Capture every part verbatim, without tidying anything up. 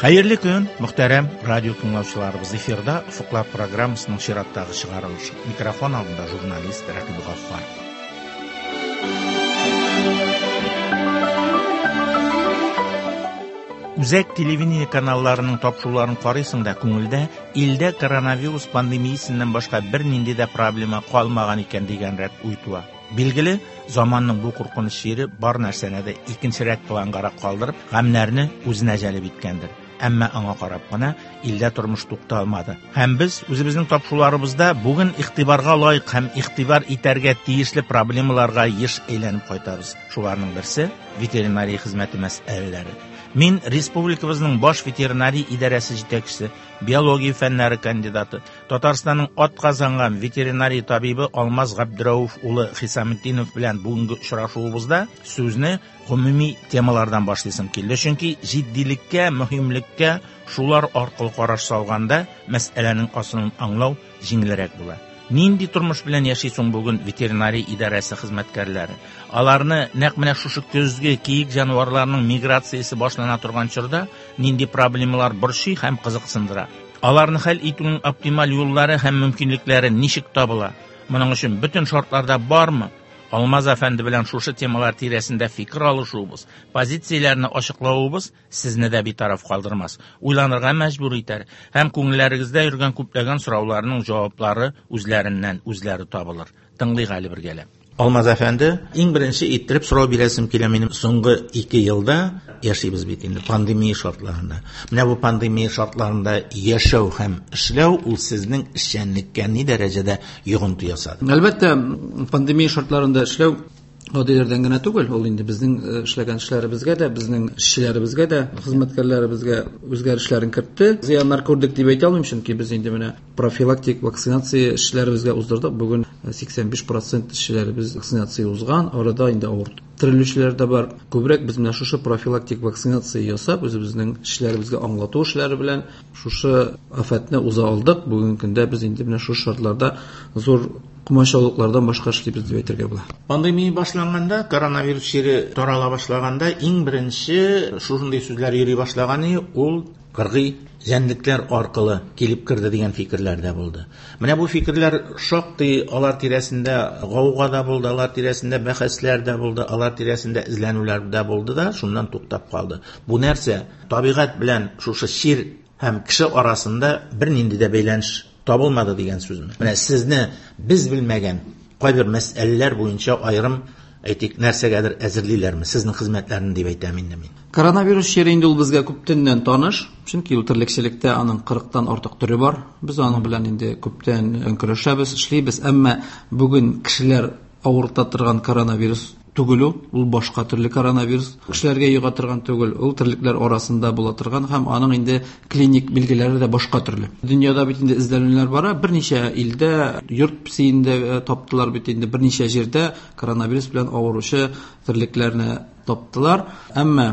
Хәерле көн, мөхтәрәм радио тыңлаучыларыбыз. Эфирда Офыклар программасының чираттагы чыгарылышы. Микрофон алдында журналист Рәкыйп Гаффар. Үзәк телевидение каналларының тапшыруларын карыйсың да күңелдә илдә коронавирус пандемиясеннән башка бернинди дә проблема калмаган икән дигәнрәк уй туа. Билгеле, заманның бу куркыныч чире бар нәрсәне дә икенчерәк плангарак калдырып, гамьнәрне үзенә җәлеп иткәндер. Әмма аңа карап кына илдә тормыш тукталмады. Һәм без үзебезнең тапшыруларыбызда бүген игътибарга лаек һәм игътибар итәргә тиешле проблемаларга еш әйләнеп кайтабыз. Шуларның берсе ветеринария хезмәте мәсьәләләре. Мин республикабызның баш ветеринария идарәсе җитәкчесе, биология фәннәре кандидаты, Татарстанның атказанган ветеринария табибы Алмаз Габдрәүф улы Хисаметдинов белән бүгенге очрашуыбызда сүзне гомуми темалардан башлыйсым килде. Чөнки җитдилеккә, мөһимлеккә шулар аркылы караш салганда мәсьәләнең асылын аңлау җиңелрәк була. Нинди тормыш белән яши соң бүген ветеринария идарәсе хезмәткәрләре? Аларны нәкъ менә шушы көзге киек җанварларының миграциясе башлана торган чорда нинди проблемалар борчый һәм кызыксындыра? Аларны хәл итүнең оптималь юллары һәм мөмкинлекләре ничек табыла? Моның өчен бөтен шартларда бармы? Алмаз әфәнде белән шушы темалар тирәсендә фикер алышуыбыз, позицияләрне ачыклавыбыз сезне дә битараф калдырмас, уйланырга мәҗбүр итәр һәм күңелләрегездә йөргән күпләгән сорауларның җаваплары үзләреннән үзләре табылыр. Тыңлыйк әле бергәләп. Алмаз әфәнде, иң беренче иттереп сорау бирәсем килә минем. Соңгы ике елда яшибез бит инде пандемия шартларында. Менә бу пандемия шартларында яшәү һәм эшләү ул сезнең эшчәнлеккә ни дәрәҗәдә йогынты ясады? Әлбәттә, пандемия шартларында эшләү гадиләрдән генә түгел, ул инде безнең эшләгән эшләребезгә дә, безнең эшчеләребезгә дә, хезмәткәрләребезгә үзгәрешләрен кертте. Зыяннар күрдек дип әйтә алмыйм, чөнки без инде менә профилактик вакцинация эшчеләребезгә уздырдык. Бүген сиксән биш процент эшчеләребез вакцинация узган, арада инде авыр терелүчеләр дә бар. Күбрәк без менә шушы профилактик вакцинация ясап, үзебезнең эшчеләребезгә аңлату эшләре белән шушы афәтне уза алдык. Бүгенге көндә без инде менә шушы шартларда зур комачаулыклардан башка эшлибез дип әйтергә була. Пандемия башланганда, коронавирус чире тарала башлаганда, иң беренче шушындый сүзләр йөри башлаган, ул кыргый җәнлекләр аркылы килеп керде дигән фикерләр дә булды. Менә бу фикерләр шактый алар тирәсендә гауга да булды, алар тирәсендә бәхәсләр дә булды, алар тирәсендә эзләнүләр дә булды да, шуннан туктап калды. Бу нәрсә табигать белән шушы чир һәм кеше арасында бернинди дә бәйләнеш табылмады дигән сүзме? Менә сезне без белмәгән кайбер мәсьәләләр буенча аерым әйтик нәрсәгәдер әзерлиләрме? Сезнең хезмәтләрне дип әйтәм инде мин. Коронавирус чире инде ул безгә күптәннән таныш, чөнки ул терлекчелектә аның кырыктан артык төре бар. Без аның белән инде күптән көрәшәбез, эшлибез, әмма бүген кешеләр авырта торган коронавирус түгел ул, ул башка төрле коронавирус. Кешеләргә йога торган түгел, ул терлекләр арасында була торган һәм аның инде клиник билгеләре дә башка төрле. Дөньяда бит инде эзләнүләр бара, берничә илдә йорт песиендә таптылар бит инде, берничә җирдә коронавирус белән авыручы терлекләрне таптылар. Әмма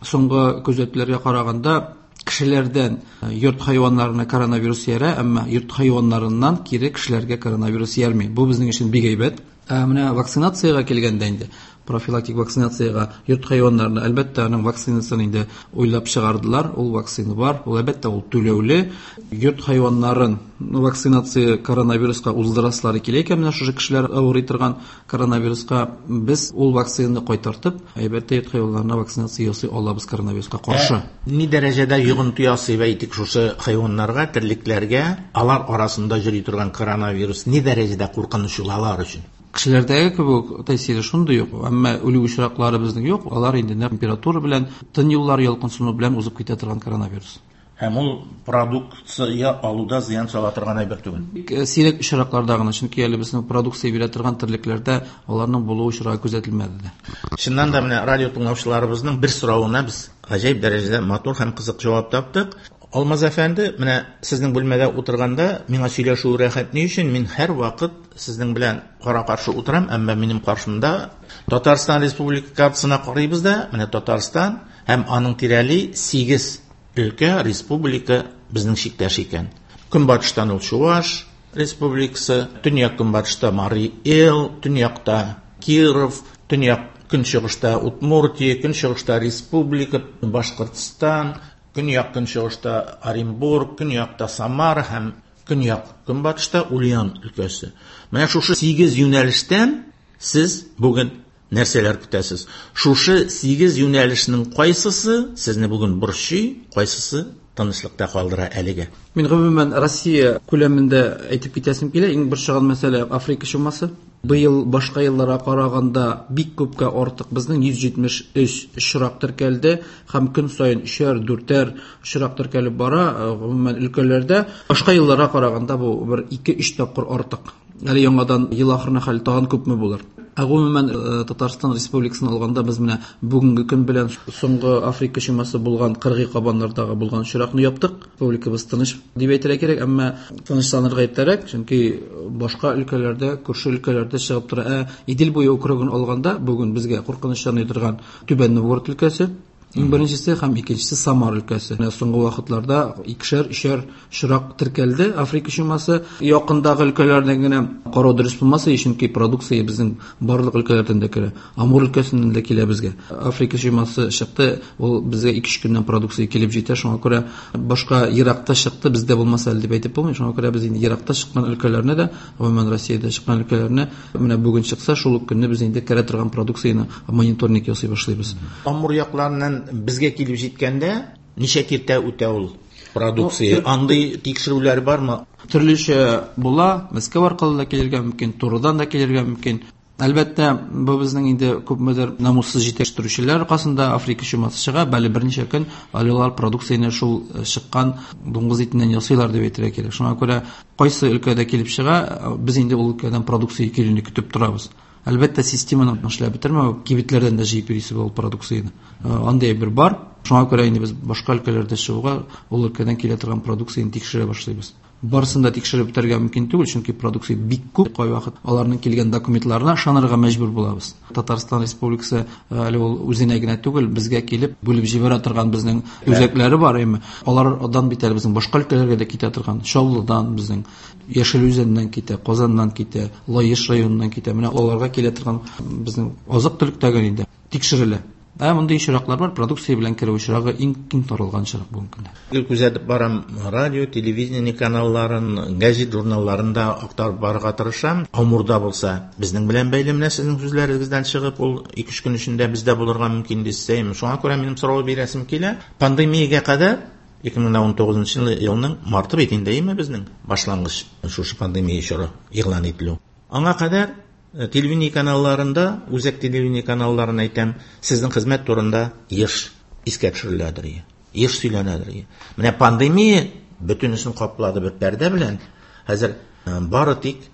соңгы күзәтүләргә караганда кешеләрдән йорт хайваннарына коронавирус ярә, әмма йорт хайваннарыннан кире кешеләргә коронавирус ярмый. Бу безнең өчен бик әйбәт. Ә менә вакцинациягә килгәндә инде, профилактик вакцинациягә йорт хайваннарына әлбәттә аның вакцинасын инде уйлап чыгардылар, ул вакцина бар, ул әлбәттә ул түләүле. Йорт хайваннарын вакцинация коронавируска уздырасылары килә икән, менә шушы кешеләр авырый торган коронавируска без ул вакцинаны кайтартып, әлбәттә йорт хайваннарына вакцинация ясый алабыз коронавируска каршы. Ә, ни дәрәҗәдә йогынты ясый әйтик шушы хайваннарга, терлекләргә, алар арасында йөри торган коронавирус ни дәрәҗәдә куркыныч ул алар өчен? Кешеләрдәге кебек тәэсире шундый юк, әмма үлү очраклары безнең юк. Алар инде нәкъ температура белән, тын юллары ялкынсыну белән узып китә торган коронавирус. Һәм ул продукция алуда зыян сала торган әйбер түгел. Бик сирәк очракларда гына, чөнки әле безнең продукция бирә торган терлекләрдә аларның булуы очрагы күзәтелмәде дә. Чыннан да менә радио тыңлаучыларыбызның бер соравына без гаҗәеп дәрәҗәдә матур һәм кызык җавап таптык. Алмаз әфәнде, менә сезнең бүлмәдә утырганда миңа сөйләшү рәхәт ни өчен? Мин һәр вакыт сезнең белән кара-каршы утырам, әмма минем каршымда Татарстан Республика картасына карыйбыз да, менә Татарстан һәм аның тирәли сигез өлкә, республика безнең чиктәш икән. Көнбатыштан ул Чуваш Республикасы, төньяк көнбатышта Марий Эл, төньякта Киров, төньяк көнчыгышта Удмуртия, көнчыгышта Республика, Башкортстан, Көньяк көнчыгышта Оренбург, көньякта Самара һәм көньяк көнбатышта Ульян өлкәсе. Менә шушы сигез юнәлештән сез бүген нәрсәләр көтәсез? Шушы сигез юнәлешнең кайсысы сезне бүген борчый, кайсысы тынычлыкта калдыра әлегә? Мин гомумән Россия күләмендә әйтеп китәсем килә. Иң борчыган мәсьәлә Африка чумасы. Быел башка елларга караганда бик күпкә артык, безнең йөз җитмеш өч очрак теркәлде һәм көн саен өчәр, дүртәр очрак теркәлеп бара. Гомумән өлкәләрдә башка елларга караганда бу бер ике-өч тапкыр артык. Әле яңадан ел ахырына хәл тагын күпме булыр. Ә гомумән, э, Татарстан Республикасын алганда без менә бүгенге көн белән соңгы Африка чумасы булган кыргый кабаннардагы булган очракны яптык. Республикабыз тыныч дип әйтергә кирәк, әмма тынычланырга иртәрәк, чөнки башка өлкәләрдә, күрше өлкәләрдә чыгып тора. Ә Идел буе округын алганда бүген безгә куркыныч яный торган Түбән Новгород өлкәсе, иң беренчесе һәм икенчесе Самар өлкәсе. Менә соңгы вакытларда икешәр, өчәр очрак теркәлде Африка чумасы. Якындагы өлкәләрдән генә карау дөрес булмаса, чөнки продукция безнең барлык өлкәләрдән дә керә. Амур өлкәсеннән дә килә безгә. Африка чумасы чыкты, ул безгә ике-өч көннән продукция килеп җитә. Шуңа күрә башка еракта чыкты, бездә булмаса әле дип әйтеп булмый. Шуңа күрә без инде еракта чыккан өлкәләрне дә, гомумән Россиядә чыккан өлкәләрне менә бүген чыкса, шул ук көнне без инде керә торган продукцияне мониторинг ясый башлыйбыз. Амур якларыннан безгә килеп җиткәндә ничә киртә үтә ул продукция? Андый тикшерүләр бармы? Төрлечә була. Мәскәү аркылы да килергә мөмкин, турыдан да килергә мөмкин. Әлбәттә, бу безнең инде күпмедер намуссыз җитештерүчеләр аркасында Африка чумасы чыга, бәле берничә көн әле алар продукцияне шул чыккан дуңгыз итеннән ясыйлар дип әйтергә кирәк. Шуңа күрә кайсы өлкәдә килеп чыга, без инде ул өлкәдән продукция килүне көтеп торабыз. Әлбәттә, системаны эшләп бетермәү, кибетләрдән дә җыеп йөрисе ул продукцияне. Андый бер бар. Шуңа күрә инде без башка өлкәләрдә чыгуга ул өлкәдән килә торган продукцияне тикшерә башлыйбыз. Барысын да тикшереп бетерергә мөмкин түгел, чөнки продукция бик күп. Кайвакыт аларның килгән документларына ышанырга мәҗбүр булабыз. Татарстан Республикасы әле ул үзенә генә түгел, безгә килеп бүлеп җибәрә торган безнең үзәкләре бар, әмма алардан бит әле безнең башка өлкәләргә дә китә торган. Чаллыдан безнең, Яшел Үзәннән китә, Казаннан китә, Лаеш районыннан китә. Менә аларга килә торган безнең азык-төлек тәген инде тикшерелә. Ә мондый очраклар бар, продукция белән керү очрагы иң киң таралган очрак бүгенге көндә. Гел күзәтеп барам радио, телевидение каналларын, газет журналларын да актарып барырга тырышам. Амурда булса, безнең белән бәйле менә сезнең сүзләрегездән чыгып, ул ике-өч көн эчендә бездә булырга мөмкин дисәм, шуңа күрә минем сорау бирәсем килә. Пандемиягә кадәр ике мең ун тугызынчы елның марты бит инде, әйме безнең башлангыч шушы пандемия чоры игълан ителү. Аңа кадәр телевидение каналларында, үзәк телевидение каналларын әйтәм, сезнең хезмәт турында еш искә төшереләдер, еш сөйләнәдер. Менә пандемия бөтенесен каплады бер пәрдә белән. Хәзер бары тик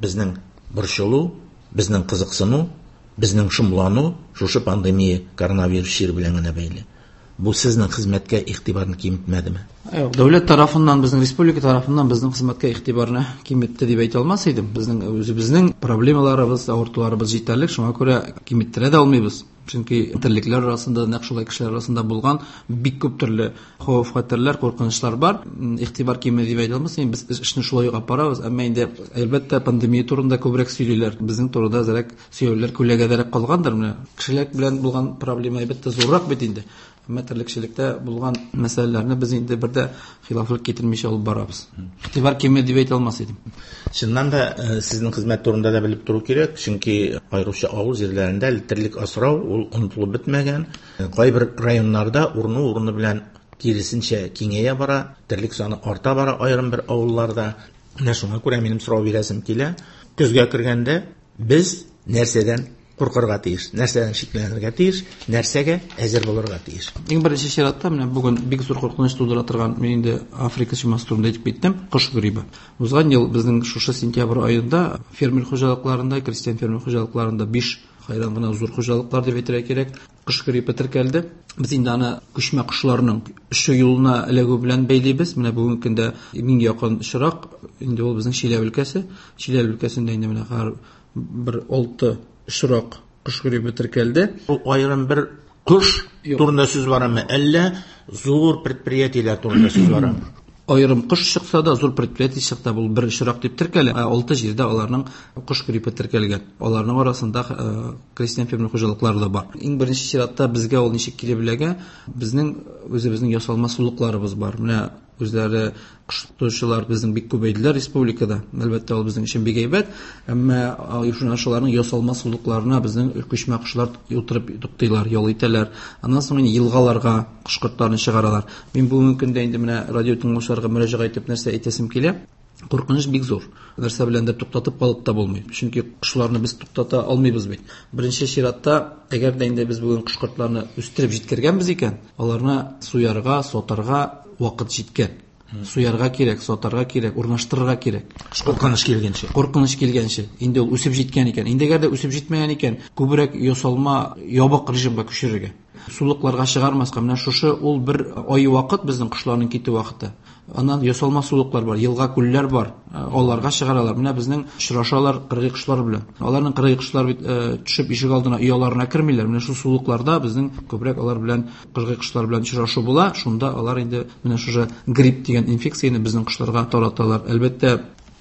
безнең борчылу, безнең кызыксыну, безнең шомлану шушы пандемия коронавирус чире белән генә бәйле. Бу сезнең хезмәткә игътибарны киметмәдеме? Юк, дәүләт тарафыннан, безнең республика тарафыннан безнең хезмәткә игътибарны киметте дип әйтә алмас идем. Безнең үзебезнең проблемаларыбыз, авыртуларыбыз җитәрлек, шуңа күрә киметтерә дә алмыйбыз. Чөнки терлекләр арасында, нәкъ шулай кешеләр арасында булган бик күп төрле хәвеф-хәтәрләр, куркынычлар бар. Игътибар киме дип әйтә алмас идем. Без эшне шулай ук алып барабыз, әмма инде әлбәттә пандемия турында күбрәк сөйлиләр. Безнең турыда әзрәк сөйләүләр күләгәдәрәк калгандыр. Менә кешеләр белән булган проблема әлбәттә зуррак бит инде. Әмма терлекчелектә булган мәсьәләләрне без инде бер дә хилафлык китермичә алып барабыз. Игътибар киме дип әйтә алмас идем. Чыннан да сезнең хезмәт турында да белеп тору кирәк, чөнки аеруча авыл җирләрендә терлек асрау ул онытылып бетмәгән. Кайбер районнарда урыны-урыны белән киресенчә киңәя бара, терлек саны арта бара аерым бер авылларда. Менә шуңа күрә минем сорау бирәсем килә. Көзгә кергәндә без нәрсәдән куркырга тиеш, нәрсәдән шикләнергә тиеш, нәрсәгә әзер булырга тиеш? Иң беренче чиратта менә бүген бик зур куркыныч тудыра торган, мин инде Африка чумасы турында әйтеп киттем, кош гриппы. Узган ел безнең шушы сентябрь аенда фермер хуҗалыкларында, крестьян фермер хуҗалыкларында биш хайран гына зур хуҗалыклар дип әйтергә кирәк, кош гриппы теркәлде. Без инде аны күчмә кошларның очу юлына эләгү белән бәйлибез. Менә бүгенге көндә иң якын очрак инде ул безнең Чиләбе өлкәсе. Чиләбе өлкәсендә инде менә һәр бер алты очрак кош гриппы теркәлде. Ул аерым бер кош турында сүз барамы, әллә зур предприятиеләр турында сүз барамы? Аерым кош чыкса да, зур предприятие чыкта, бу бер очрак дип теркәлә. Алты җирдә аларның кош гриппы теркәлгән. Аларның арасында крестьян фермер хуҗалыклары да бар. Иң беренче чиратта безгә ул ничек килеп эләгә? Безнең үзебезнең ясалма сулыкларыбыз бар. Менә үзләре кош тотучылар безнең бик күбәйделәр республикада. Әлбәттә, ул безнең өчен бик әйбәт, әмма шуларның ясалма сулыкларына безнең күчмә кошлар утырып туктыйлар, ял итәләр. Аннан соң инде елгаларга кош-кортларны чыгаралар. Мин бүгенге көндә инде менә радио тыңлаучыларга мөрәҗәгать итеп нәрсә әйтәсем килә? Куркыныч бик зур. Нәрсә белән дә туктатып калып та булмый. Чөнки кошларны без туктата алмыйбыз бит. Беренче чиратта, әгәр дә инде без бүген кош-кортларны үстереп җиткергәнбез икән, аларны суярга, сатарга вакыт җиткән. Суярга кирәк, сатарга кирәк, урнаштырырга кирәк. Куркыныч килгәнче. Куркыныч килгәнче. Инде ул үсеп җиткән икән. Инде әгәр дә үсеп җитмәгән икән, күбрәк ясалма ябык режимга күчерергә. Сулыкларга чыгармаска. Менә шушы ул бер ай вакыт безнең кошларның китү вакыты. Аннан ясалма сулыклар бар, елга күлләр бар. Аларга чыгаралар. Менә безнең очрашалар кыргый кошлар белән. Аларның кыргый кошлар бит төшеп ишек алдына ояларына кермиләр. Менә шул сулыкларда безнең күбрәк алар белән кыргый кошлар белән очрашу була. Шунда алар инде менә шушы грипп дигән инфекцияне безнең кошларга тараталар. Әлбәттә,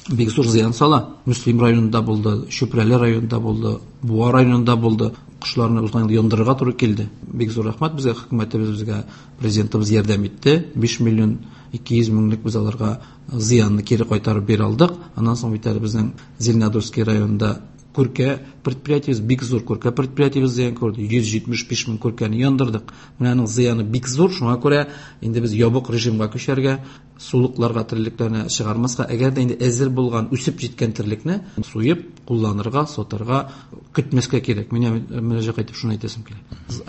бик зур зыян сала. Мөслим районында булды, Чүпрәле районында булды, Буа районында булды. Кошларны узган ел яндырырга туры килде. Бик зур рәхмәт безгә, хөкүмәтебез безгә, президентыбыз ярдәм итте. биш миллион ике йөз меңлек без аларга зыянны кире кайтарып бирә алдык. Аннан соң бит әле безнең Зеленодольский районында күркә предприятиебез, бик зур күркә предприятиебез зыян күрде. йөз җитмеш биш мең күркәне яндырдык. Менә аның зыяны бик зур. Шуңа күрә инде без ябык режимга күчәргә, сулыкларга терлекләрне чыгармаска, әгәр дә инде әзер булган, үсеп җиткән терлекне суеп, кулланырга, сатарга көтмәскә кирәк. Менә мөрәҗәгать итеп шуны әйтәсем килә.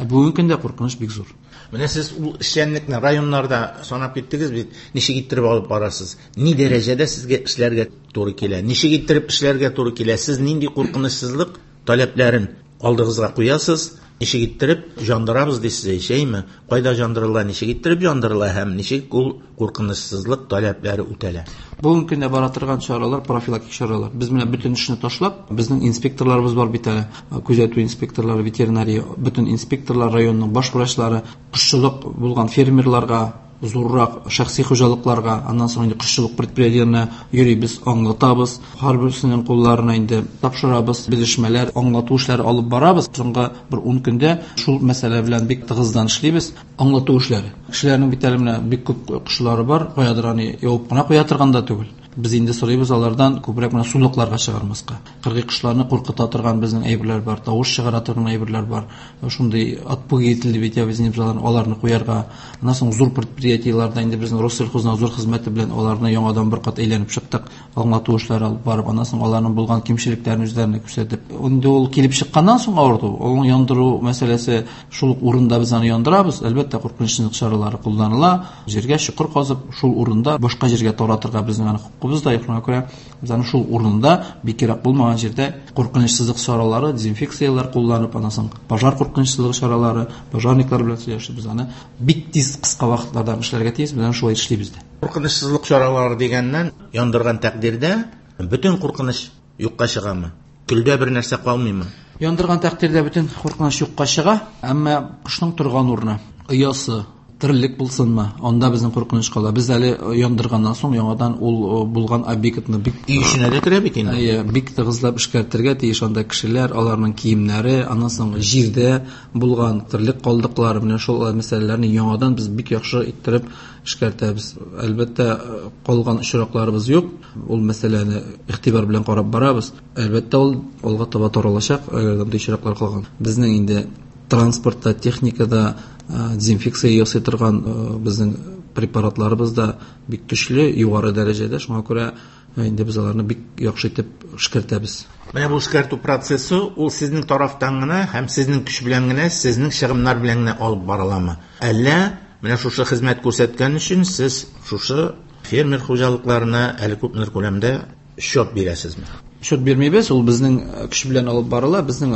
Бүгенге көндә куркыныч бик зур. Менә сез ул эшчәнлекне районнарда санап киттегез бит. Ничек иттереп алып барасыз? Ни дәрәҗәдә сезгә эшләргә туры килә? Ничек иттереп эшләргә туры килә? Сез нинди куркынычсызлык таләпләрен алдыгызга куясыз? Ничек иттереп жандырабыз дисез, әйме? Кайда жандырыла, ничек иттереп жандырыла һәм ничек ул куркынычсызлык таләпләре үтәлә? Бүгенге көндә бара торган чаралар, профилактик чаралар. Без менә бөтен эшне ташлап, безнең инспекторларыбыз бар бит әле, күзәтү инспекторлары, ветеринария, бөтен инспекторлар, районның баш врачлары, кошчылык булган фермерларга, зуррак шәхси хуҗалыкларга, аннан соң инде кошчылык предприятиеләренә йөрибез, аңлатабыз. Һәрберсенең кулларына инде тапшырабыз, белешмәләр, аңлату эшләре алып барабыз. Соңгы бер ун көндә шул мәсьәлә белән бик тыгыздан эшлибез. Аңлату эшләре. Кешеләрнең бит әле менә бик күп кошлары бар, каядыр аны явып кына куя торган да түгел. Без инде сорыйбыз алардан күбрәк менә сулыкларга чыгармаска. Кыргый кошларны куркыта торган безнең әйберләр бар, тавыш чыгара торган әйберләр бар. Шундый отпугиватель дип әйтәбез инде без аларны, аларны куярга. Аннан соң зур предприятиеләрдә инде безнең Россельхознадзор хезмәте белән аларны яңадан бер кат әйләнеп чыктык, аңлату эшләре алып барып, аннан соң аларның булган кимчелекләрен үзләренә күрсәтеп. Инде ул килеп чыкканнан соң авырту, ул яндыру мәсьәләсе шул ук урында без аны яндырабыз. Әлбәттә, куркынычсызлык чаралары кулланыла. Җиргә чокыр казып, шул урында башка җиргә таратырга безнең аны хокукыбыз да юк. Шуңа күрә без аны шул урында, бик ерак булмаган җирдә куркынычсызлык чаралары, дезинфекцияләр кулланып, аннан соң пожар куркынычсызлыгы чаралары, пожарниклар белән сөйләшеп, без аны бик тиз кыска вакытларда эшләргә тиеш, без аны шулай эшлибез дә. Куркынычсызлык чаралары дигәннән, яндырган тәкъдирдә бөтен куркыныч юкка чыгамы? Көлдә бер нәрсә калмыймы? Яндырган тәкъдирдә бөтен куркыныч юкка чыга, әмма кошның торган урыны, оясы, терлек булсынмы, анда безнең куркыныч кала. Без әле яндырганнан соң яңадан ул булган объектны бик өй эченә дә керә бит инде. Әйе, бик тыгызлап эшкәртергә тиеш. Анда кешеләр, аларның киемнәре, аннан соң җирдә булган терлек калдыклары, менә шул мәсьәләләрне яңадан без бик яхшы иттереп эшкәртәбез. Әлбәттә, калган очракларыбыз юк. Ул мәсьәләне игътибар белән карап барабыз. Әлбәттә, ул алга таба таралачак, әгәр андый очраклар калган. Безнең инде транспортта, техникада дезинфекция ясый торган безнең препаратларыбыз да бик көчле, югары дәрәҗәдә. Шуңа күрә инде без аларны бик яхшы итеп эшкәртәбез. Менә бу эшкәртү процессы ул сезнең тарафтан гына һәм сезнең көч белән генә, сезнең чыгымнар белән генә алып барыламы? Әллә менә шушы хезмәт күрсәткән өчен сез шушы фермер хуҗалыкларына әле күпмедер күләмдә счет бирәсезме? Счет бирмибез, ул безнең көч белән алып барыла. Безнең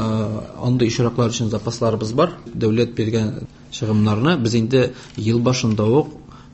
андый очраклар өчен запасларыбыз бар. Дәүләт биргән чыгымнарны без инде ел башында ук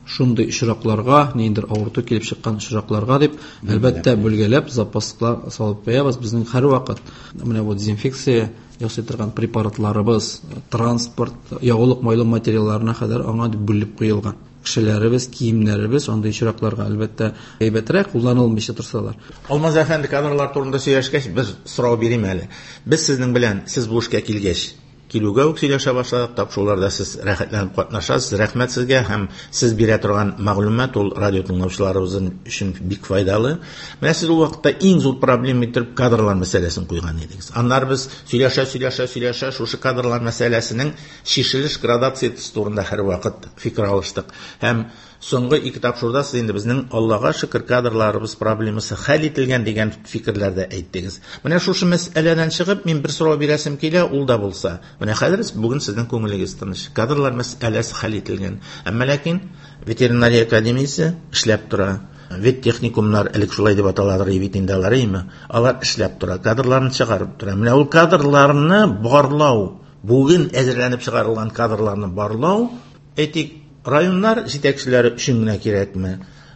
шундый очракларга, ниндидер авырту килеп чыккан очракларга дип, әлбәттә, бүлгәләп запаслар салып куябыз. Безнең һәрвакыт менә бу дезинфекция ясый торган препаратларыбыз, транспорт, ягулык майлы материалларына кадәр аңа дип бүлеп куелган. Кешеләребез, киемнәребез андый очракларга әлбәттә әйбәтрәк кулланылмыйча торсалар. Алмаз әфәнде, кадрлар турында сөйләшкәч, бер сорау бирим әле. Без сезнең белән, сез бу эшкә килгәч, килүгә үк сөйләшә башладык, тапшыруларда сез рәхәтләнеп катнашасыз. Рәхмәт сезгә, һәм сез бирә торган мәгълүмат ул радио тыңлаучыларыбыз өчен бик файдалы. Менә сез ул вакытта иң зур проблема итеп кадрлар мәсьәләсен куйган идегез. Аннары без сөйләшә, сөйләшә, сөйләшә шушы кадрлар мәсьәләсенең чишелеш градациясе турында һәрвакыт фикер алыштык. Һәм соңгы ике тапшыруда сез инде безнең Аллага шөкер кадрларыбыз проблемасы хәл ителгән дигән фикерләрдә әйттегез. Менә шушы мәсьәләдән чыгып мин бер сорау бирәсем килә, ул да булса. Менә хәзер бүген сезнең күңелегез тыныч. Кадрлар мәсьәләсе хәл ителгән. Әмма ләкин ветеринария академиясе эшләп тора. Веттехникумнар элек шулай дип аталадыр бит инде алар, әйме? Алар эшләп тора, кадрларны чыгарып тора. Менә ул кадрларны барлау, бүген әзерләнеп чыгарылган кадрларны барлау, әйтик, районнар җитәкчеләре өчен генә кирәкме?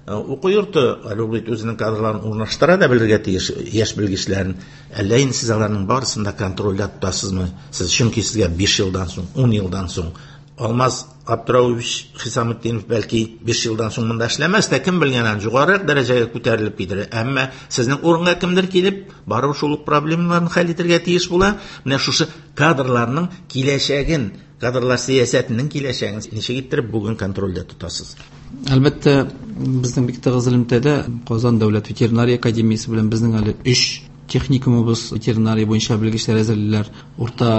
Уку йорты әле ул бит үзенең кадрларын урнаштыра да белергә тиеш, яшь белгечләрен. Әллә инде сез аларның барысын да контрольдә тотасызмы? Сез чөнки сезгә биш елдан соң, ун елдан соң Алмаз Абдырауович Хисаметдинов бәлки биш елдан соң монда эшләмәс тә, кем белгән, аны югарырак дәрәҗәгә күтәрелеп китер. Әмма сезнең урынга кемдер килеп, барыбер шул ук проблемаларны хәл итәргә тиеш була. Менә шушы кадрларның киләчәген, кадрлар сәясәтенең киләчәген ничек иттереп бүген контрольдә тотасыз? Әлбәттә, безнең бик тыгыз элемтәдә Казан дәүләт ветеринария академиясе белән безнең әле өч техникумыбыз ветеринария буенча белгечләр әзерлиләр. Урта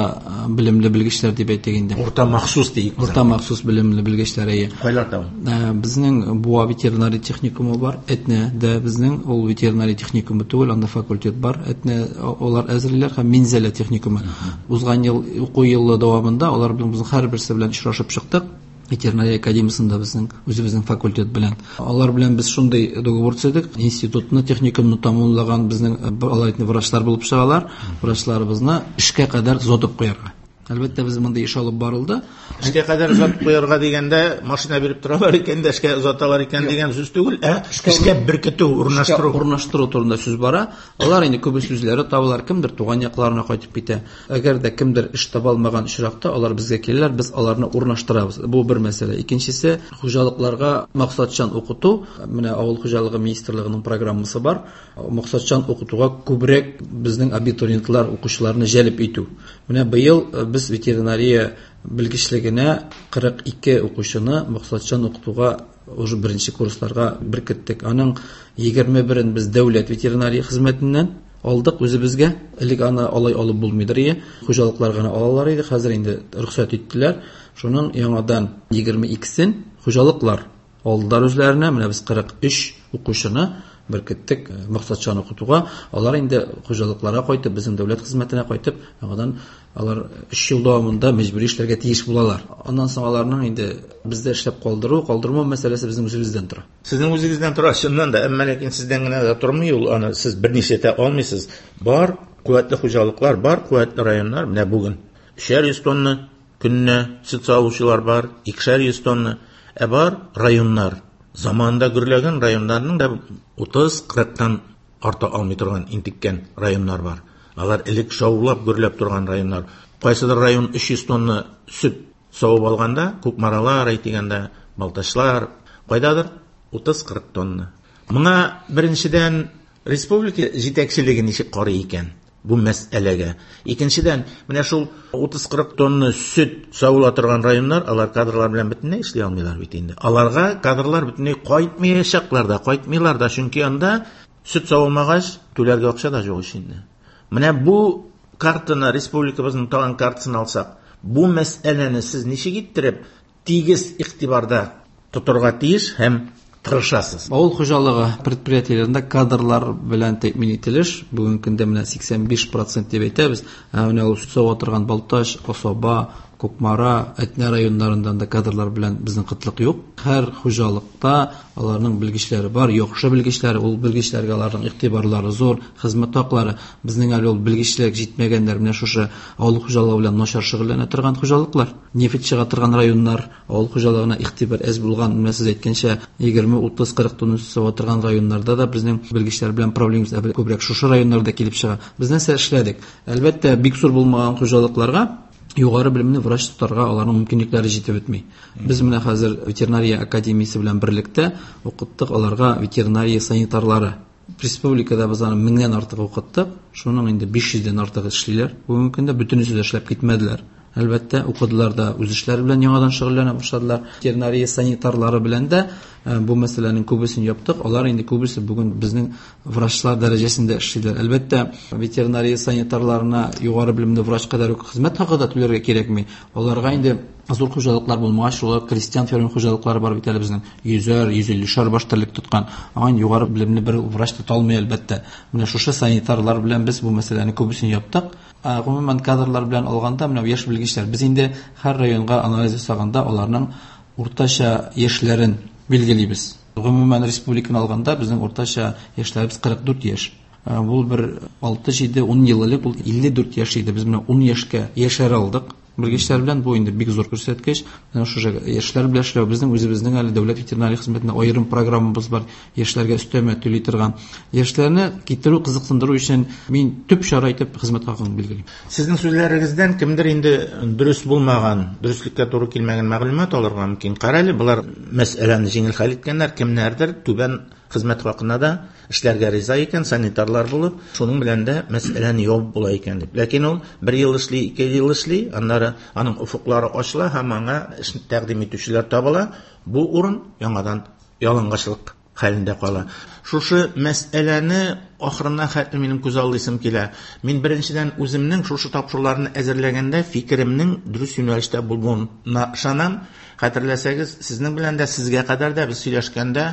белемле белгечләр дип әйтик инде. Урта махсус диик. Урта махсус белемле белгечләр, әйе. Кайларда ул? Безнең Буа ветеринария техникумы бар, Әтнәдә безнең ул ветеринария техникумы түгел, анда факультет бар. Әтнә алар әзерлиләр һәм Минзәлә техникумы. Узган ел уку елы дәвамында алар белән безнең һәрберсе белән очрашып чыктык. Ветеринария академиясендә безнең үзебезнең факультет белән. Алар белән без шундый договор төзедек. Институтны, техникумны тәмамлаган безнең алар инде врачлар булып чыгалар. Врачларыбызны эшкә кадәр озатып куярга. Әлбәттә, без монда эш алып барылды. Эшкә кадәр озатып куярга дигәндә, машина биреп торалар икән дә, эшкә озаталар икән дигән сүз түгел, ә эшкә беркетү, урнаштыру. Урнаштыру турында сүз бара. Алар инде күбесе үзләре табалар, кемдер туган якларына кайтып китә. Әгәр дә кемдер эш таба алмаган очракта, алар безгә киләләр, без аларны урнаштырабыз. Бу бер мәсьәлә. Икенчесе, хуҗалыкларга максатчан укыту. Менә авыл хуҗалыгы министрлыгының программасы бар. Максатчан укытуга күбрәк безнең абитуриентлар, укучыларны җәлеп итү. Менә быел без ветеринария белгечлегенә кырык ике укучыны максатчан укытуга уже беренче курсларга беркеттек. Аның егерме берен без дәүләт ветеринария хезмәтеннән алдык үзебезгә. Элек аны алай алып булмыйдыр иде. Хуҗалыклар гына алалар иде. Хәзер инде рөхсәт иттеләр. Шуның яңадан егерме икесен хуҗалыклар алдылар үзләренә. Менә без кырык өч укучыны беркеттек максатчан укытуга. Алар инде хуҗалыкларга кайтып, безнең дәүләт хезмәтенә кайтып, яңадан алар өч ел дәвамында мәҗбүри эшләргә тиеш булалар. Аннан соң аларның инде бездә эшләп калдыру, калдырмау мәсьәләсе безнең үзебездән тора. Сезнең үзегездән тора, чыннан да, әмма ләкин сездән генә дә тормый ул, аны сез берничә итә алмыйсыз. Бар куәтле хуҗалыклар, бар куәтле районнар, менә бүген өчәр йөз тонна көненә сөт савучылар бар, икешәр йөз тонна, ә бар районнар. Заманында гөрләгән районнарның да утыз кырыктан арта алмый торган интеккән районнар бар. Алар элек шаулап гөрләп торган районнар. Кайсыдыр район өч йөз тонна сөт савып алганда, Кукмаралар әйтегәндә, Балтачлар, кайдадыр утыз кырык тонна. Моңа беренчедән республика җитәкчелеге ничек карый икән бу мәсьәләгә? Икенчедән, менә шул утыз кырык тонна сөт савыла торган районнар, алар кадрлар белән бөтенләй эшли алмыйлар бит инде. Аларга кадрлар бөтенләй кайтмаячаклар да, кайтмыйлар да, чөнки анда сөт савылмагач, түләргә акча да юк инде. Менә бу картаны, республикабызның тагын картасын алсак, бу мәсьәләне сез ничек иттереп тигез игътибарда тотарга тиеш һәм тырышасыз? Авыл хуҗалыгы предприятиеләрендә кадрлар белән тәэмин ителеш бүгенге көндә менә сиксән биш процент дип әйтәбез. Ә менә ул сава торган Балтач, Асаба, Кукмара, Әтнә районнарында да кадрлар белән безнең кытлык юк. Һәр хуҗалыкта аларның белгечләре бар, яхшы белгечләре, ул белгечләргә аларның игътибарлары зур, хезмәт хаклары. Безнең әле ул белгечлек җитмәгәннәр, менә шушы авыл хуҗалыгы белән начар шөгыльләнә торган хуҗалыклар, нефть чыга торган районнар, авыл хуҗалыгына игътибар әз булган, менә сез әйткәнчә егерме, утыз, кырык тонна сава торган районнарда да безнең белгечләр белән проблемабыз күбрәк шушы районнарда килеп чыга. Без нәрсә эшләдек? Әлбәттә, бик зур булмаган хуҗалыкларга Югары белемле врач тотарга аларның мөмкинлекләре җитеп бетми. Без менә хәзер ветеринария академиясе белән берлектә укыттык аларга ветеринария санитарлары. Республикада без аны меңнән артык укыттык. Шуның инде биш йөздән артыгы эшлиләр. Бүгенге көндә бөтенесе дә эшләп китмәделәр. Әлбәттә, укыдылар да үз эшләре белән яңадан шөгыльләнә башладылар. Ветеринария санитарлары белән дә бу мәсьәләнең күбесен яптык. Алар инде күбесе бүген безнең врачлар дәрәҗәсендә эшлиләр. Әлбәттә, ветеринария санитарларына югары белемле врач кадәр үк хезмәт хакы да түләргә кирәкми. Аларга инде зур хуҗалыклар булмагач, шулар крестьян фермер хуҗалыклары бар бит әле безнең. Йөзәр, йөз иллешәр баш терлек тоткан. Аңа инде югары белемле бер врач тота алмый әлбәттә. Менә шушы санитарлар белән без бу мәсьәләне күбесен яптык. Гомумән кадрлар белән алганда, менә яшь белгечләр, без инде һәр районга анализ ясаганда аларның уртача яшьләрен билгелибез. Гомумән республиканы алганда безнең уртача яшьләребез кырык дүрт яшь. Бу бер алты, җиде, ун ел элек ул илле дүрт яшь иде. Без менә ун яшькә яшәрә алдык. Белгечләр белән бу инде бик зур күрсәткеч. Менә шушы яшьләр белән эшләү, безнең үзебезнең әле дәүләт ветеринария хезмәтендә аерым программабыз бар, яшьләргә өстәмә түли торган. Яшьләрне китерү, кызыксындыру өчен мин төп чара итеп хезмәт хакын билгелим. Сезнең сүзләрегездән кемдер инде дөрес булмаган, дөреслеккә туры килмәгән мәгълүмат алырга мөмкин. Карале, болар мәсьәләне җиңел хәл иткәннәр, кемнәрдер түбән хезмәт хакына да эшләргә риза икән, санитарлар булып, шуның белән дә мәсьәләне ябып була икән дип. Ләкин ул бер ел эшли, ике ел эшли, аннары аның офыклары ачыла һәм аңа эш тәкъдим итүчеләр табыла. Бу урын яңадан ялангачлык хәлендә кала. Шушы мәсьәләне ахырына хәтле минем күз алдыйсым килә. Мин беренчедән үземнең шушы тапшыруларны әзерләгәндә фикеремнең дөрес юнәлештә булуына ышанам. Хәтерләсәгез, сезнең белән дә, сезгә кадәр дә без сөйләшкәндә,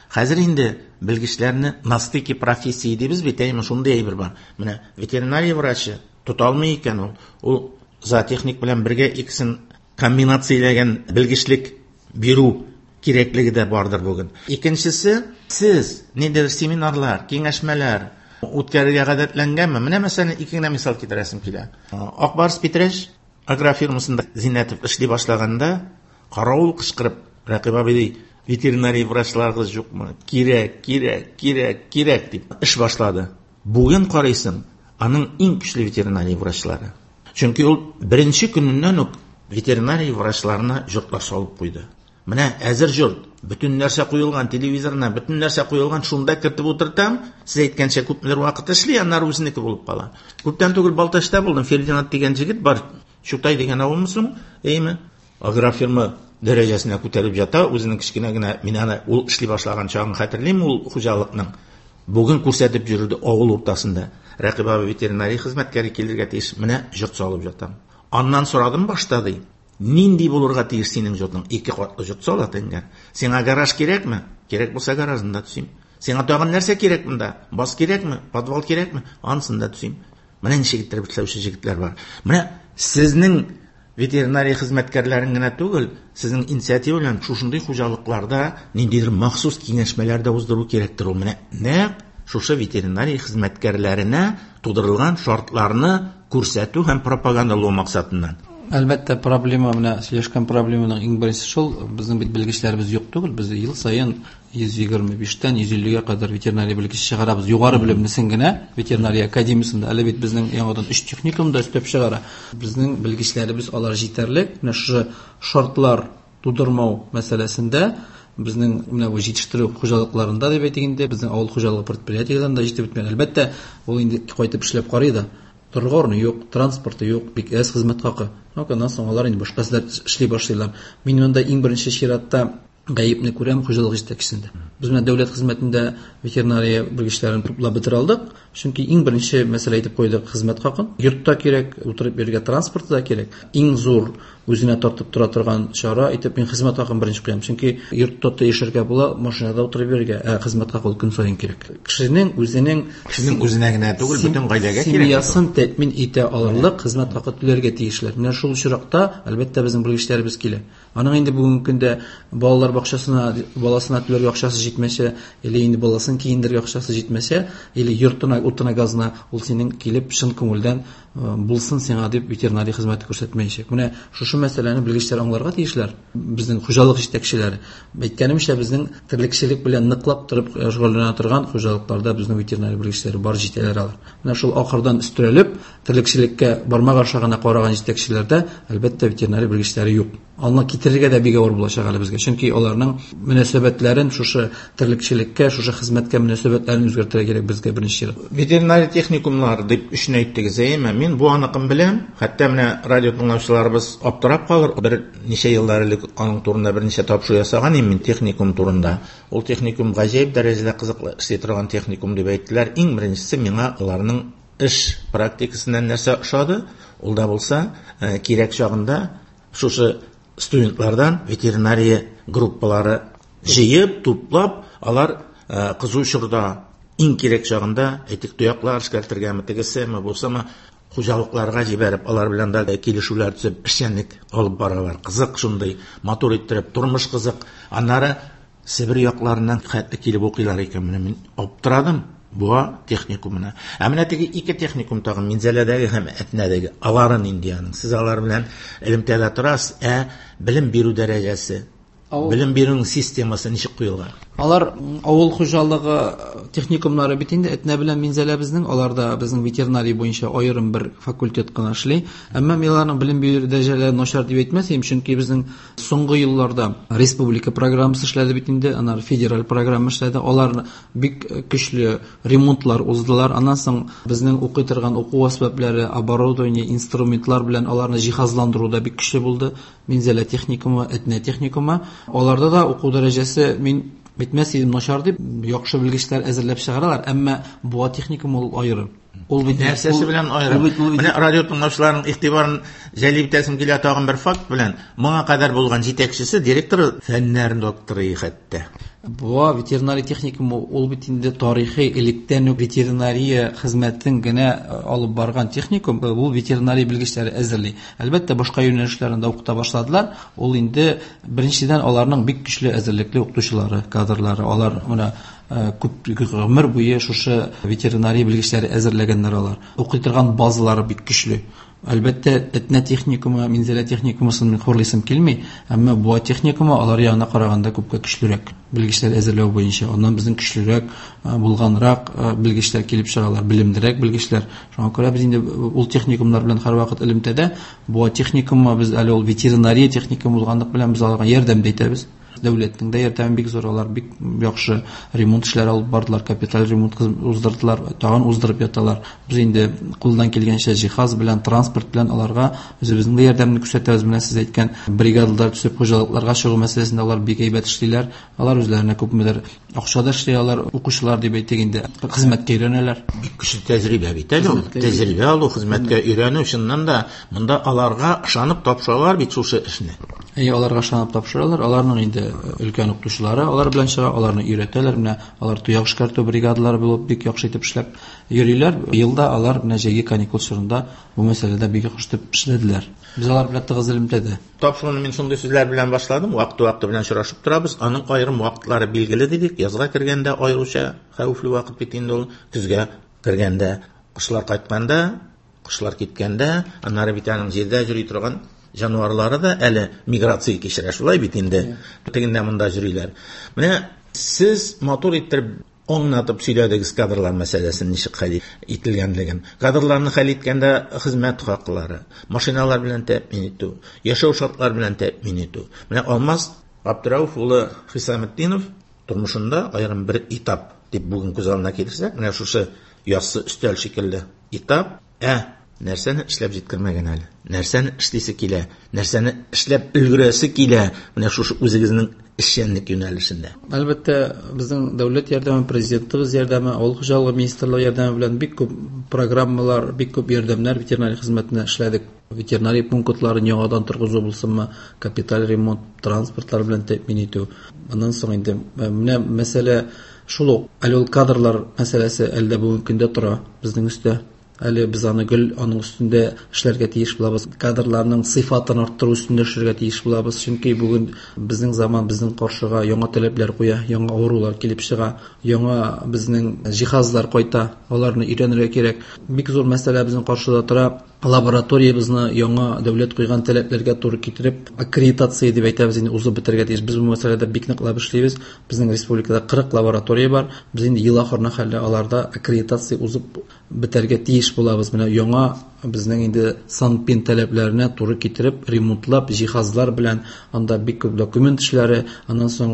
хәзер инде белгечләрне на стыке профессии дибез бит, әйме, шундый әйбер бар. Менә ветеринария врачы тота алмый икән ул. Ул зоотехник белән бергә икесен комбинацияләгән белгечлек бирү кирәклеге дә бардыр бүген. Икенчесе, сез ниндидер семинарлар, киңәшмәләр үткәрергә гадәтләнгәнме? Менә мәсәлән, ике генә мисал китерәсем килә. Акбарс Питрәч агрофирмасында Зиннәтов эшли башлаганда, каравыл кычкырып, Рәкыйп абый ди, ветеринария врачларыгыз юкмы? Кирәк, кирәк, кирәк, кирәк дип эш башлады. Бүген карыйсың, аның иң көчле ветеринария врачлары. Чөнки ул беренче көненнән үк ветеринария врачларына йортлар салып куйды. Менә әзер йорт, бөтен нәрсә куелган, телевизорына бөтен нәрсә куелган, шунда кертеп утыртам, сез әйткәнчә күпмедер вакыт эшли, аннары үзенеке булып кала. Күптән түгел Балтачта булдым, Фердинанд дигән җегет бар, Чутай дигән авылмы соң, әйме? Агрофирма дәрәҗәсенә күтәреп ята, үзенең кечкенә генә, мин аны ул эшли башлаган чагын хәтерлим, ул хуҗалыкның. Бүген күрсәтеп йөрде авыл уртасында. Рәкыйп абый ветеринария хезмәткәре килергә тиеш, менә йорт салып ятам. Аннан сорадым башта ди. Нинди булырга тиеш синең йортың? Ике катлы йорт сала дигән. Сиңа гараж кирәкме? Кирәк булса гаражын да төзим. Сиңа тагын нәрсә кирәк монда? Баз кирәкме? Подвал кирәкме? Анысын да төзим. Менә ничек иттереп эшләүче җегетләр бар. Менә сезнең ветеринария хезмәткәрләрен генә түгел, сезнең инициатива белән шушындый хуҗалыкларда ниндидер махсус киңәшмәләр дә уздыру кирәктер ул. Менә нәкъ шушы ветеринария хезмәткәрләренә тудырылган шартларны күрсәтү һәм пропагандалау максатыннан. Әлбәттә, проблема, менә сөйләшкән проблеманың иң беренчесе шул, безнең бит белгечләребез юк түгел, без ел саен йөз егерме биштән йөз иллегә кадәр ветеринария белгече чыгарабыз. Югары белемлесен генә ветеринария академиясендә, әле бит безнең яңадан өч техникум да өстәп чыгара. Безнең белгечләребез алар җитәрлек. Менә шушы шартлар тудырмау мәсьәләсендә безнең менә бу җитештерү хуҗалыкларында дип әйтик инде, безнең авыл хуҗалыгы предприятиеләрендә җитеп бетмәгән. Әлбәттә, ул инде кайтып эшләп карый да. Торырга урыны юк, транспорты юк, бик әз хезмәт хакы. Аннан соң алар инде башка эшләр эшли башлыйлар. Мин монда иң беренче чиратта гаепне күрәм хуҗалык җитәкчесендә. Без менә дәүләт хезмәтендә ветеринария белгечләрен туплап бетерә алдык. Чөнки иң беренче мәсьәлә итеп куйдык хезмәт хакын. Йортта кирәк, утырып йөрергә транспорты да кирәк. Иң зур үзенә тартып тора торган чара итеп мин хезмәт хакын беренче куям. Чөнки йортта та яшәргә була, машинада утырып йөрергә, ә хезмәт хакы ул көн саен кирәк. Кешенең үзенең, кешенең үзенә генә түгел, бөтен гаиләгә кирәк. Семьясын тәэмин итә алырлык хезмәт хакы түләргә тиешләр. Менә шул очракта, әлбәттә, безнең белгечләребез килә. Аның инде бүгенге көндә балалар бакчасына, баласына түләргә акчасы җитмәсә, или инде баласын киендерергә акчасы җитмәсә, или йортына, утына, газына, ул синең килеп чын күңелдән булсын сиңа дип ветеринария хезмәте күрсәтмәячәк. Менә шушы шушы мәсьәләне белгечләр аңларга тиешләр. Безнең хуҗалык җитәкчеләре. Әйткәнемчә, безнең терлекчелек белән ныклап торып шөгыльләнә торган хуҗалыкларда безнең ветеринария белгечләре бар, җитәләр алар. Менә шул ахырдан өстерәлеп, терлекчелеккә бармак аша гына караган җитәкчеләрдә, әлбәттә, ветеринария белгечләре юк. Аны китерергә дә бик авыр булачак әле безгә. Чөнки аларның мөнәсәбәтләрен шушы терлекчелеккә, шушы хезмәткә мөнәсәбәтләрен үзгәртергә кирәк безгә беренче чиратта. Ветеринария техникумнары дип өчен әйттегез, әйеме? Мин бу аныкын беләм. Хәтта менә радио тыңлаучыларыбыз аптырап калыр. Бер ничә еллар элек аның турында берничә тапшыру ясаган идем мин техникум турында. Ул техникум гаҗәеп дәрәҗәдә кызыклы эшли торган техникум дип әйттеләр. Иң беренчесе миңа аларның эш практикасыннан нәрсә ошады? Ул да булса, кирәк чагында шушы студентлардан ветеринария группалары җыеп, туплап, алар кызу чорда иң кирәк чагында, әйтик, тояклар эшкәртергәме, тегесеме, булсамы, хуҗалыкларга җибәреп, алар белән дә килешүләр төзеп, эшчәнлек алып баралар. Кызык шундый, матур иттереп, тормыш кызык. Аннары Себер якларыннан хәтле килеп укыйлар икән. Менә мин аптырадым Буа техникумына. Ә менә теге ике техникум тагын Минзәләдәге һәм Әтнәдәге, алары нинди аның? Сез алар белән элемтәдә торасыз, ә белем бирү дәрәҗәсе, белем бирүнең системасы ничек куелган? Алар авыл хуҗалыгы техникумнары бит инде Әтнә белән Минзәлә безнең, аларда безнең ветеринария буенча аерым бер факультет кына эшли. Әмма мин аларның белем бирү дәрәҗәләре начар дип әйтмәс идем, чөнки безнең соңгы елларда республика программасы эшләде бит инде, аннары федераль программа эшләде. Алар бик көчле ремонтлар уздылар. Аннан соң безнең укый торган уку әсбаплары, оборудование, инструментлар белән аларны җиһазландыру да бик көчле булды. Минзәлә техникумы, Әтнә техникумы, аларда да уку дәрәҗәсе мин битмәс идем начар дип, яхшы белгечләр әзерләп чыгаралар, әмма Буа техникумы ул аерым. Ул бит нәрсәсе белән аерым? Менә радио тыңлаучыларның игътибарын җәлеп итәсем килә тагын бер факт белән. Моңа кадәр булган җитәкчесе, директоры фәннәр докторы хәтта. Буа ветеринария техникумы ул бит инде тарихи электән үк ветеринария хезмәтен генә алып барган техникум, ул ветеринария белгечләре әзерли. Әлбәттә, башка юнәлешләрендә укыта башладылар. Ул инде беренчедән аларның бик көчле әзерлекле укытучылары, кадрлары. Алар менә күп гомер буе шушы ветеринария белгечләре әзерләгәннәр алар. Укый торган базалары бик көчле. Әлбәттә, Әтнә техникумы, Минзәлә техникумысын мин хурлыйсым килми, әмма Буа техникумы алар ягына караганда күпкә көчлерәк белгечләр әзерләү буенча. Аннан безнең көчлерәк булганрак белгечләр килеп чыгалар, белемлерәк белгечләр. Шуңа күрә без инде ул техникумнар белән һәрвакыт элемтәдә. Буа техникумы без әле ул ветеринария техникумы булганлык белән без аларга ярдәм дә итәбез. Дәүләтнең дә ярдәме бик зур, алар бик яхшы ремонт эшләре алып бардылар, капиталь ремонт уздырдылар, тагын уздырып яталар. Без инде кулдан килгәнчә җиһаз белән, транспорт белән аларга үзебезнең дә ярдәмне күрсәтәбез. Менә сез әйткән бригадалар төзеп хуҗалыкларга чыгу мәсьәләсендә алар бик әйбәт эшлиләр. Алар үзләренә күпмедер акча да эшли алар, укучылар дип әйтик инде, хезмәткә өйрәнәләр. Бик көчле тәҗрибә бит әле ул. Тәҗрибә алу, хезмәткә өйрәнү, чыннан да монда аларга ышанып тапшыралар бит шушы эшне. Әйе, аларга ышанып тапшыралар. Аларның инде өлкән укытучылары алар белән чыга, аларны өйрәтәләр. Менә алар тояк эшкәртү бригадалары булып бик яхшы итеп эшләп йөриләр. Елда алар менә җәйге каникул чорында бу мәсьәләдә бик яхшы итеп эшләделәр. Без алар белән тыгыз элемтәдә. Тапшыруны мин шундый сүзләр белән башладым. Вакыты-вакыты белән очрашып торабыз. Аның аерым вакытлары билгеле дидек. Язга кергәндә аеруча хәвефле вакыт бит инде ул. Көзгә кергәндә, кошлар кайтканда, кошлар киткәндә, аннары бит аның җирдә йөри торган җанварлары да әле миграция кичерә, шулай бит инде. Тегендә монда йөриләр. Менә сез матур иттереп аңлатып сөйләдегез кадрлар мәсьәләсен ничек хәл ителгәнлеген. Кадрларны хәл иткәндә хезмәт хаклары, машиналар белән тәэмин итү, яшәү шартлары белән тәэмин итү. Менә Алмаз Абдрауф улы Хисаметдинов тормышында аерым бер этап дип бүген күз алдына китерсәк, менә шушы яссы өстәл шикелле этап, ә нәрсәне эшләп җиткермәгән әле, нәрсәне эшлисе килә, нәрсәне эшләп өлгерәсе килә, менә шушы үзегезнең эшчәнлек юнәлешендә. Әлбәттә, безнең дәүләт ярдәме, президентыбыз ярдәме, авыл хуҗалыгы министрлыгы ярдәме белән бик күп программалар, бик күп ярдәмнәр ветеринария хезмәтенә эшләдек. Ветеринария пунктларын яңадан торгызу булсынмы, капиталь ремонт, транспортлар белән тәэмин итү. Аннан соң инде менә мәсьәлә шул ук, әле ул кадрлар мәсьәләсе әле дә бүгенге көндә тора безнең өстә. Әле без аны гел аның өстендә эшләргә тиеш булабыз. Кадрларның сыйфатын арттыру өстендә эшләргә тиеш булабыз. Чөнки бүген безнең заман безнең каршыга яңа таләпләр куя, яңа авырулар килеп чыга, яңа безнең җиһазлар кайта, аларны өйрәнергә кирәк. Бик зур мәсьәлә безнең каршыда тора. Лабораториябезне яңа дәүләт куйган таләпләргә туры китереп, аккредитация дип әйтәбез инде, узып бетәргә тиеш. Без бу мәсьәләдә бик ныклап эшлибез. Безнең республикада кырык лаборатория бар. Без инде ел ахырына хәтле аларда аккредитация узып бетәргә тиеш булабыз. Менә яңа безнең инде санпин таләпләренә туры китереп, ремонтлап, җиһазлар белән анда бик күп документ эшләре, аннан соң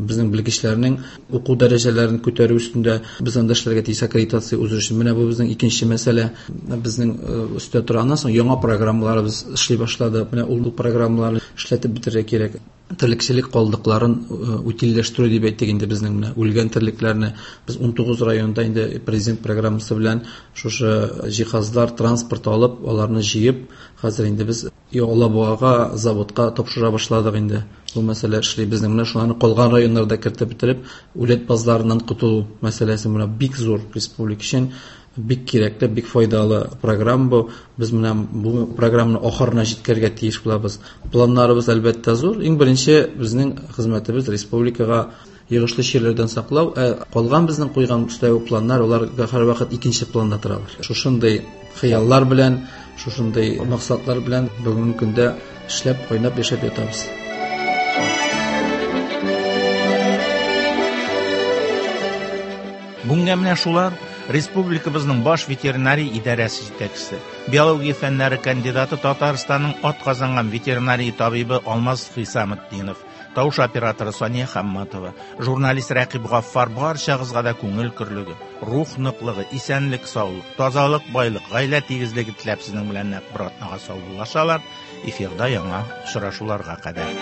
безнең белгечләрнең уку дәрәҗәләрен күтәрү өстендә без анда эшләргә тиеш аккредитация узу өчен. Менә бу безнең икенче мәсьәлә. Безнең өстә тора. Аннан соң яңа программаларыбыз эшли башлады. Менә ул программаларны эшләтеп бетерергә кирәк. Терлекчелек калдыкларын утильләштерү дип әйтик инде, безнең менә үлгән терлекләрне без ун тугыз районда инде президент программасы белән шушы җиһазлар, транспорт алып, аларны җыеп, хәзер инде без Алабугага, заводка тапшыра башладык инде. Бу мәсьәлә эшли. Безнең менә шуларны калган районнарда кертеп бетереп, үләт базларыннан котылу мәсьәләсе менә бик зур республика өчен бик кирәкле, бик файдалы программа бу. Без менә бу программаны ахырына җиткерергә тиеш булабыз. Планнарыбыз әлбәттә зур. Иң беренче безнең хезмәтебез республикага йогышлы чирләрдән саклау, ә калган безнең куйган өстәге планнар, алар һәрвакыт икенче планда торалар. Шушындый хыяллар белән, шушындый максатлар белән бүгенге көндә эшләп, кайнап яшәп ятабыз. Бүгенгә менә шулар. Республикабызның баш ветеринария идарәсе җитәкчесе, биология фәннәре кандидаты, Татарстанның атказанган ветеринария табибы Алмаз Хисаметдинов, тавыш операторы Сания Хамматова, журналист Рәкыйп Гаффар барчагызга да күңел көрлеге, рух ныклыгы, исәнлек, саулык, тазалык, байлык, гаилә тигезлеге теләп сезнең белән нәкъ бер атнага саубуллашалар. Эфирда яңа очрашуларга кадәр.